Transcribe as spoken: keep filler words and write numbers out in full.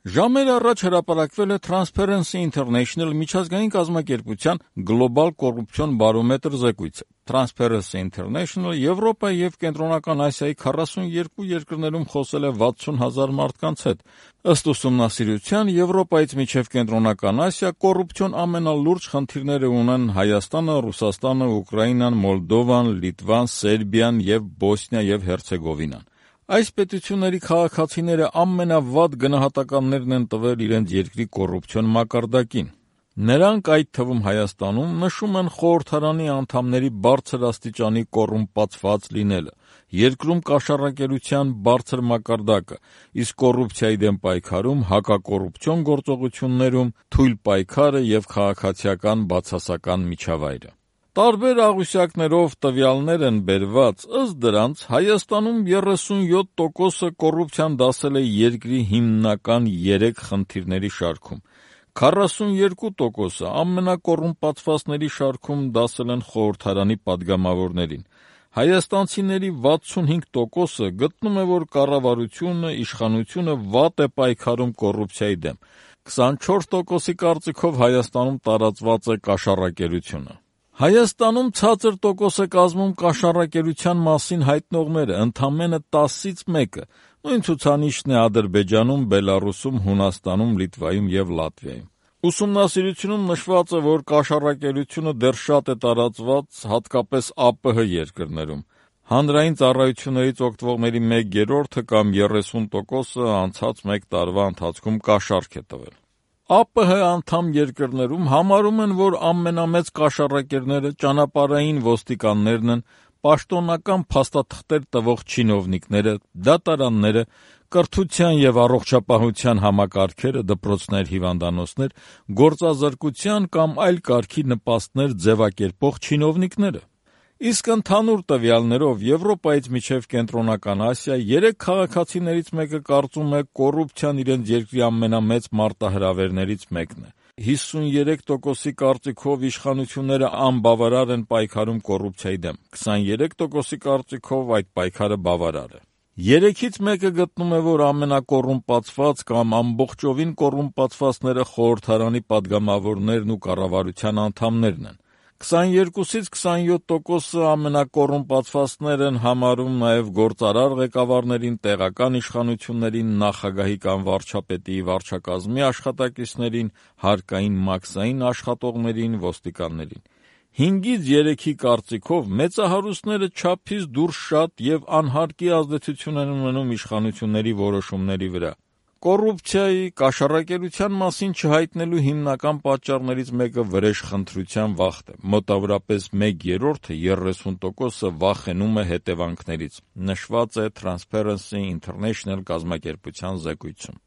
Ժամեր առաջ հրապարակվել է Transparency International միջազգային կազմակերպության Global Corruption Barometer զեկույցը։ Transparency International Եվրոպայի և Կենտրոնական Ասիայի քառասուններկու երկրներում խոսել է վաթսուն հազար մարդկանց հետ։ Ըստ ուսումնասիրության, Եվրոպայից մինչև Կենտրոնական Ասիա կոռուպցիոն ամենալուրջ խնդիրները ունեն Հայաստանը, Ռուսաստանը, Ուկրաինան, Մոլդովան, Լիտվան, Սերբիան և Բոսնիա և Հերցեգովինան։ Այս պետությունների քաղաքացիները ամենավատ գնահատականներն են տվել իրենց երկրի կոռուպցիոն մակարդակին։ Նրանք, այդ թվում Հայաստանում, նշում են խորհրդարանի անդամների բարձր աստիճանի կոռումպացված լինելը, երկրում կաշառակերության բարձր մակարդակը, իսկ կոռուպցիայի դեմ պայքարում, հակակոռուպցիոն գործողություններում թույլ պայքարը և քաղաքացիական բացասական միջավայրը։ Տարբեր աղյուսակներով տվյալներ են բերված, ըստ դրանց Հայաստանում երեսունյոթ տոկոսը կոռուպցիան դասել է երկրի հիմնական երեք խնդիրների շարքում, քառասուններկու տոկոսը ամենակոռումպացվածների շարքում դասել են խորհրդարանի պատգամավորներին։ Հայաստանցիների վաթսունհինգ տոկոսը գտնում է, որ կառավարությունը, իշխանությունը վատ է պայքարում կոռուպցիայի դեմ, քսանչորս տոկոսի կարծիքով Հայաստանում տարածված է կաշառակերությունը։ Հայաստանում ցածր տոկոս է կազմում կաշառակերության մասին հայտնողները, ընդամենը տասից մեկը, նույն ցուցանիշն է Ադրբեջանում, Բելառուսում, Հունաստանում, Լիտվայում և Լատվիայում։ Ուսումնասիրությունում նշված է, որ կաշառակերությունը դեռ շատ է տարածված հատկապես ԱՊՀ երկրներում։ Հանրային ծառայություններից օգտվողների մեկ երրորդը կամ երեսուն տոկոսը անցած մեկ տարվա ընթացքում կաշառք է տվել։ ԱՊՀ անդամ երկրներում համարում են, որ ամենամեծ կաշառակերները ճանապարհային ոստիկաններն են, պաշտոնական փաստաթղթեր տվող չինովնիկները, դատարանները, կրթության և առողջապահության համակարգերը, դպրոցներ, հիվանդանոցներ, գործազրկության կամ այլ կարգի նպաստներ ձևակերպող չինովնիկները։ Իսկ ընդհանուր տվյալներով Եվրոպայից մինչև Կենտրոնական Ասիա երեք քաղաքացիներից մեկը կարծում է կոռուպցիան իրենց երկրի ամենամեծ մարտահրավերներից մեկն է։ հիսուներեք տոկոսի կարծիքով իշխանությունները անբավարար են պայքարում կոռուպցիայի դեմ, քսաներեք տոկոսի կարծիքով այդ պայքարը բավարար է։ Երեքից մեկը գտնում է, որ ամենակոռումպացված կամ ամբողջովին կոռումպացվածները խորհրդարանի պատգամավորներն ու կառավարության անդամներն են։ քսաներկուսից քսանյոթ տոկոսը ամենակոռումպացվածներ են համարում նաև գործարար ղեկավարներին, տեղական իշխանություններին, նախագահի կամ վարչապետի վարչակազմի աշխատակիցներին, հարկային մաքսային աշխատողներին, ոստիկաններին։ հինգից երեքի կարծիքով մեծահարուստները չափից դուրս շատ և անհարկի ազդեցություն են ունենում իշխանությունների որոշումների վրա։ Կոռուպցիայի, կաշառակերության մասին չհայտնելու հիմնական պատճառներից մեկը վրեժխնդրության վախն է։ Մոտավորապես մեկ երրորդը, երեսուն տոկոսը վախենում է հետևանքներից, նշված է Transparency International կազմակերպության զեկույցում։